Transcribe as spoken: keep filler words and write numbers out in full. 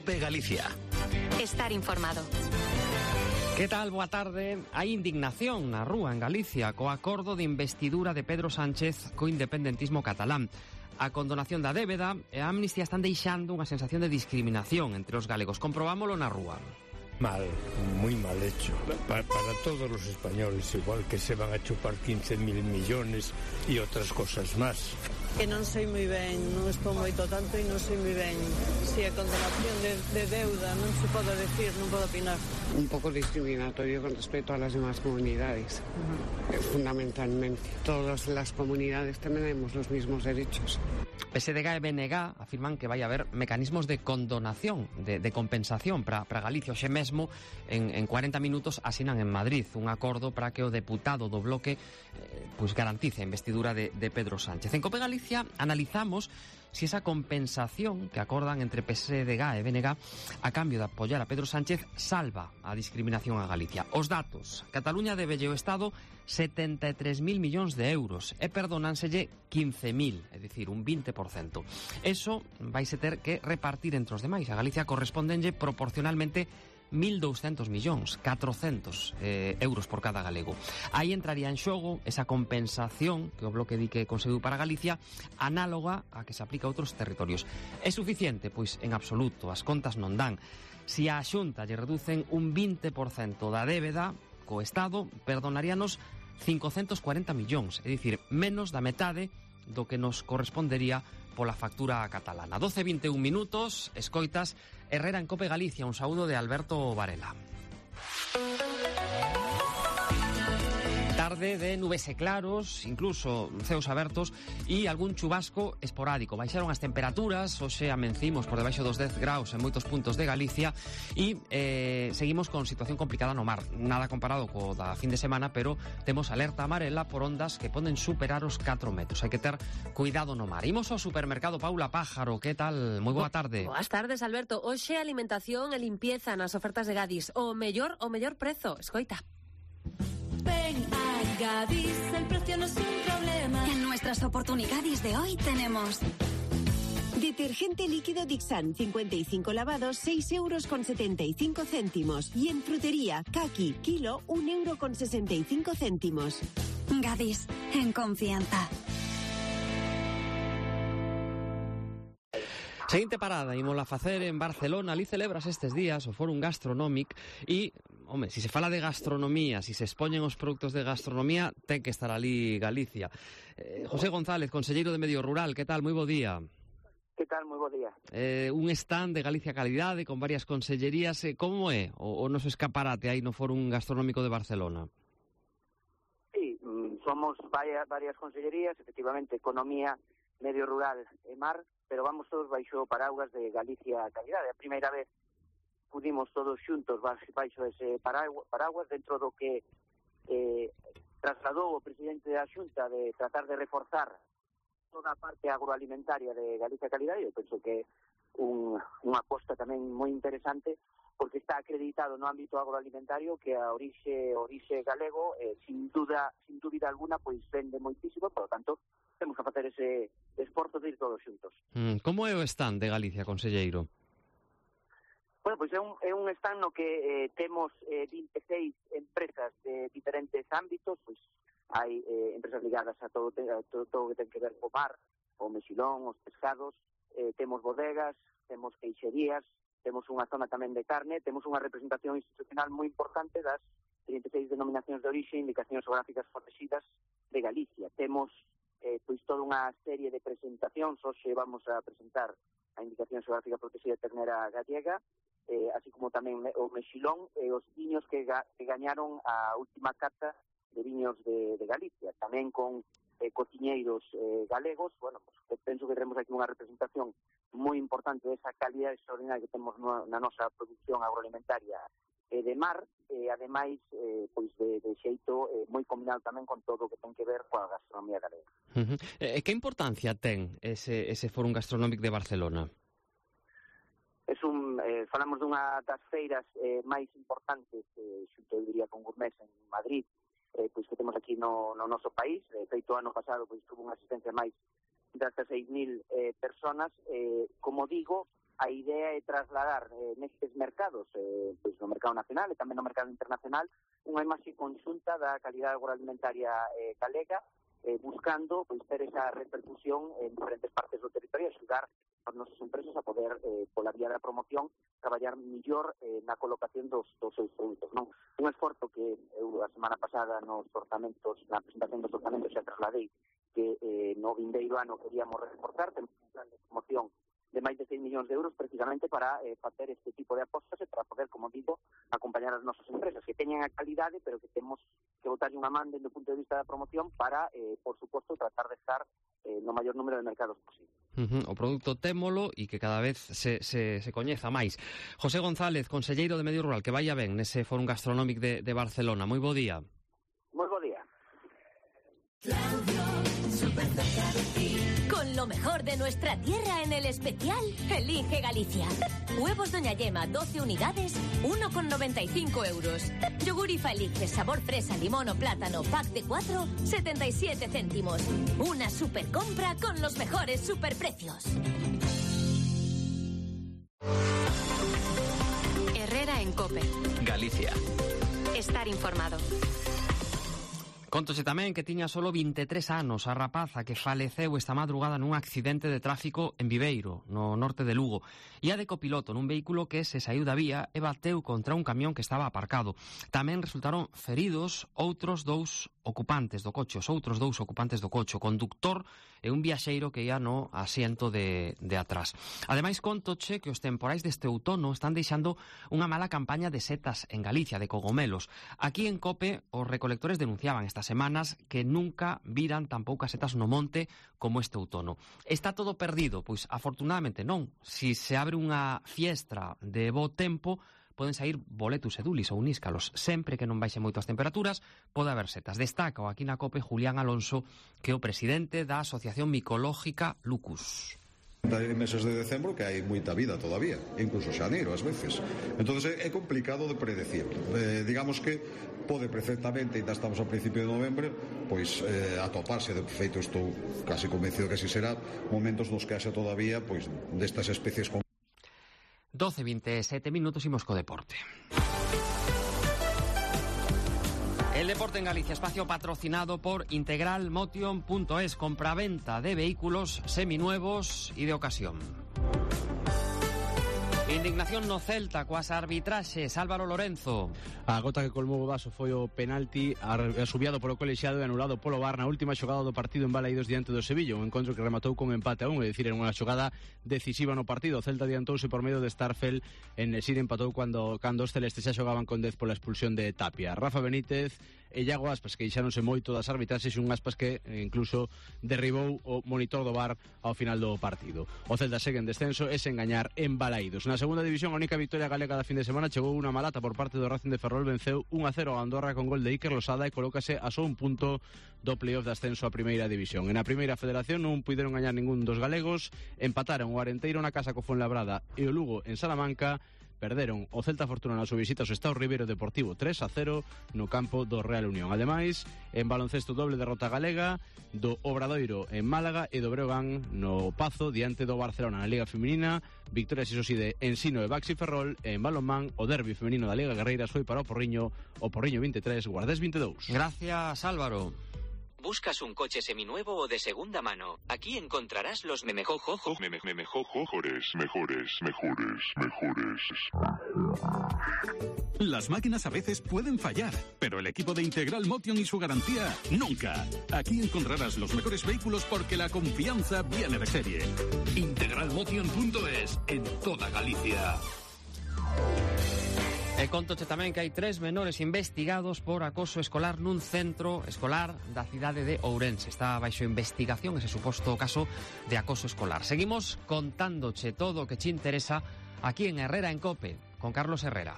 COPE Galicia. Estar informado. Que tal? Boa tarde. Hai indignación na rúa en Galicia co acordo de investidura de Pedro Sánchez co independentismo catalán. A condonación da débeda e a amnistía están deixando unha sensación de discriminación entre os galegos. Comprobámolo na rúa. Mal, muy mal hecho. Para, para todos los españoles, igual que se van a chupar quince mil millones y otras cosas más. Que non sei moi ben, non estou moito tanto e non sei moi ben se a condonación de, de deuda non se pode decir, non podo opinar. Un pouco discriminatorio con respecto a las demás comunidades. Uh-huh. Fundamentalmente, todas las comunidades tenemos los mismos derechos. P S D G e B N G afirman que vai haber mecanismos de condonación, de, de compensación para Galicia. Hoxe mesmo, en, en cuarenta minutos, asinan en Madrid un acordo para que o deputado do bloque eh, pues garantice a investidura de, de Pedro Sánchez. En COPE Galicia analizamos si esa compensación que acordan entre P S D G e B N G a cambio de apoyar a Pedro Sánchez salva a discriminación a Galicia. Os datos: Cataluña debelle ao Estado setenta e tres mil millóns de euros e perdonánselle quince mil, é dicir, un vinte por cento. Eso vaise ter que repartir entre os demais. A Galicia correspondenlle proporcionalmente mil douscentos millóns, catrocentos eh, euros por cada galego. Aí entraría en xogo esa compensación que o bloque di que conseguiu para Galicia, análoga a que se aplica a outros territorios. É suficiente? Pois en absoluto, as contas non dan. Si a Xunta lle reducen un vinte por cento da débeda, co Estado perdonaríanos cincocentos cuarenta millóns, é dicir, menos da metade do que nos correspondería pola factura catalana. doce e vinte e un minutos, escoitas Herrera en COPE Galicia. Un saúdo de Alberto Varela. Tarde de nubes e claros, incluso ceos abertos e algún chubasco esporádico. Baixaron as temperaturas, hoxe amencimos por debaixo dos dez graus en moitos puntos de Galicia e eh, seguimos con situación complicada no mar. Nada comparado co da fin de semana, pero temos alerta amarela por ondas que poden superar os catro metros. Hai que ter cuidado no mar. Imos ao supermercado Paula Pájaro. Que tal? Moi boa tarde. Boas tardes, Alberto. Hoxe alimentación e limpieza nas ofertas de Gadis. O mellor, o mellor prezo. Escoita. Ven a Gadis, el precio no es un problema. En nuestras oportunidades de hoy tenemos detergente líquido Dixan, cincuenta y cinco lavados, seis euros con setenta y cinco céntimos. Y en frutería, Kaki, kilo, un euro con sesenta y cinco céntimos. Gadis, en confianza. Seguinte parada, ímola facer en Barcelona. Ali celebras estes días o Fórum Gastronómic e, home, si se fala de gastronomía, si se expoñen os produtos de gastronomía, ten que estar ali Galicia. Eh, José González, conselleiro de Medio Rural, que tal? Moi bo día. Que tal? Moi bo día. Eh, un stand de Galicia Calidade con varias consellerías. Eh, como é o, o noso escaparate aí no Fórum Gastronómico de Barcelona? Sí, somos varias, varias consellerías, efectivamente, Economía, Medio Rural e Mar, pero vamos todos baixo paraguas de Galicia Calidade. A primeira vez pudimos todos xuntos baixo ese paraguas dentro do que eh, trasladou o presidente da Xunta de tratar de reforzar toda a parte agroalimentaria de Galicia Calidade. Eu penso que un, unha aposta tamén moi interesante, porque está acreditado no ámbito agroalimentario que a orixe orixe galego, eh, sin duda sin dúbida alguna, pois vende moitísimo, por lo tanto, temos que facer ese esforzo de ir todos xuntos. Mm, como é o stand de Galicia, conselleiro? Bueno, pois é un, é un stand no que eh, temos eh, vinte e seis empresas de diferentes ámbitos, pois hai eh, empresas ligadas a todo, a todo, todo que ten que ver co mar, o mexilón, os pescados, eh, temos bodegas, temos queixerías, temos unha zona tamén de carne, temos unha representación institucional moi importante das trinta e seis denominacións de orixe e indicacións geográficas protegidas de Galicia. Temos eh, pois toda unha serie de presentacións. Hoxe vamos a presentar a indicación geográfica protegida de ternera gallega, eh, así como tamén o mexilón e os viños que, ga, que gañaron a última cata de viños de, de Galicia, tamén con eh, cociñeiros eh, galegos. Bueno, pues, penso que teremos aquí unha representación moi importante desa calidad extraordinaria que temos no, na nosa produción agroalimentaria e de mar, e ademais eh, pois de, de xeito eh, moi combinado tamén con todo o que ten que ver coa gastronomía galega. Uh-huh. E que importancia ten ese, ese Fórum Gastronómic de Barcelona? Es un, eh, falamos dunha das feiras eh, máis importantes, eh, xunto eu diría con Gourmet en Madrid, eh, pois que temos aquí no, no noso país. De feito, ano pasado pois tuvo unha asistencia máis de hasta seis mil eh, personas. Eh, como digo, a idea é trasladar eh, nestes mercados, eh, pois no mercado nacional e tamén no mercado internacional, unha imaxe conxunta da calidade agroalimentaria eh, galega, eh, buscando pois ter esa repercusión en diferentes partes do territorio e axudar as nosas empresas a poder, eh, pola vía da promoción, traballar millor eh, na colocación dos, dos seus produtos, non? Un esforzo que eu a semana pasada nos orzamentos, na presentación dos orzamentos xa trasladei que eh, no vindeiro ano queríamos reforzar, temos un plan de promoción de máis de seis millóns de euros precisamente para eh, facer este tipo de apostas e para poder, como digo, acompañar as nosas empresas que teñen a calidade, pero que temos que botarlle unha man desde o punto de vista da promoción para, eh, por suposto, tratar de estar eh, no maior número de mercados posible. Uh-huh. O produto témolo e que cada vez se, se, se coñeza máis. José González, conselleiro de Medio Rural, que vaya ben nese Fórum Gastronómico de, de Barcelona. Moi bo día. Moi bo día. Claudio, súper cerca de ti. Con lo mejor de nuestra tierra en el especial, elige Galicia. Huevos Doña Yema, doce unidades, uno con noventa y cinco euros. Yogur Ifa Elige, sabor fresa, limón o plátano, pack de cuatro, setenta y siete céntimos. Una super compra con los mejores superprecios. Herrera en COPE. Galicia. Estar informado. Contoche tamén que tiña solo vinte e tres anos a rapaza que faleceu esta madrugada nun accidente de tráfico en Viveiro, no norte de Lugo. Ia de copiloto nun vehículo que se saiu da vía e bateu contra un camión que estaba aparcado. Tamén resultaron feridos outros dous ocupantes do coche, os outros dous ocupantes do coche, o conductor e un viaxeiro que ia no asiento de, de atrás. Ademais, contoche que os temporais deste outono están deixando unha mala campaña de setas en Galicia, de cogomelos. Aquí en COPE, os recolectores denunciaban estas semanas que nunca viran tan poucas setas no monte como este outono. Está todo perdido? Pois afortunadamente non. Si se abre unha fiestra de bo tempo, poden sair boletus e dulis ou níscalos. Sempre que non baixe moito as temperaturas, pode haber setas. Destaca aquí na COPE Julián Alonso, que é o presidente da Asociación Micológica Lucus. Hai meses de decembro que hai moita vida todavía, incluso xaneiro ás veces. Entonces é complicado de predecir. Eh, digamos que pode perfectamente, ainda estamos ao principio de novembro, pois eh, atoparse, de feito estou casi convencido que así será, momentos nos que haxa todavía pois destas especies con doce e veintesete minutos, imos co deporte. El deporte en Galicia, espacio patrocinado por Integral Motion punto es, compraventa de vehículos seminuevos y de ocasión. Indignación no Celta coas arbitraxes, Álvaro Lorenzo. A gota que colmou o vaso foi o penalti asubiado polo colexiado e anulado polo V A R na última xogada do partido en Balaídos diante do Sevilla, un encontro que rematou con empate a un, é dicir, en unha xogada decisiva no partido. O Celta adiantouse por medio de Starfel, en Nesir empatou cando, cando os celestes xa xogaban con dez pola expulsión de Tapia. Rafa Benítez e Iago Aspas, que queixáronse moito das arbitraxes, un Aspas que incluso derribou o monitor do V A R ao final do partido. O Celta segue en descenso e sen gañar en Balaídos. Na segunda división, a única victoria galega da fin de semana chegou unha malata por parte do Racing de Ferrol, venceu un a cero a Andorra con gol de Iker Losada e colócase a só un punto do playoff de ascenso a primeira división. En a primeira federación non puideron gañar ningún dos galegos, empataron o Arenteiro na casa co Fuenlabrada e o Lugo en Salamanca. Perderon o Celta Fortuna na súa visita ao Sestao Ribeiro Deportivo tres a cero no campo do Real Unión. Ademais, en baloncesto doble derrota galega do Obradoiro en Málaga e do Breogán no Pazo diante do Barcelona na Liga Feminina. Victorias, iso sí, de Ensino e Baxi Ferrol. En balonmán, o derbi femenino da Liga Guerreiras foi para o Porriño, o Porriño vinte e tres, Guardés vinte e dous. Gracias, Álvaro. ¿Buscas un coche seminuevo o de segunda mano? Aquí encontrarás los memejojojos. Memejojojores, mejores, mejores, mejores. Las máquinas a veces pueden fallar, pero el equipo de Integral Motion y su garantía, nunca. Aquí encontrarás los mejores vehículos porque la confianza viene de serie. Integral Motion punto es, en toda Galicia. E contoche tamén que hai tres menores investigados por acoso escolar nun centro escolar da cidade de Ourense. Está baixo investigación ese suposto caso de acoso escolar. Seguimos contándoche todo o que che interesa aquí en Herrera en COPE, con Carlos Herrera.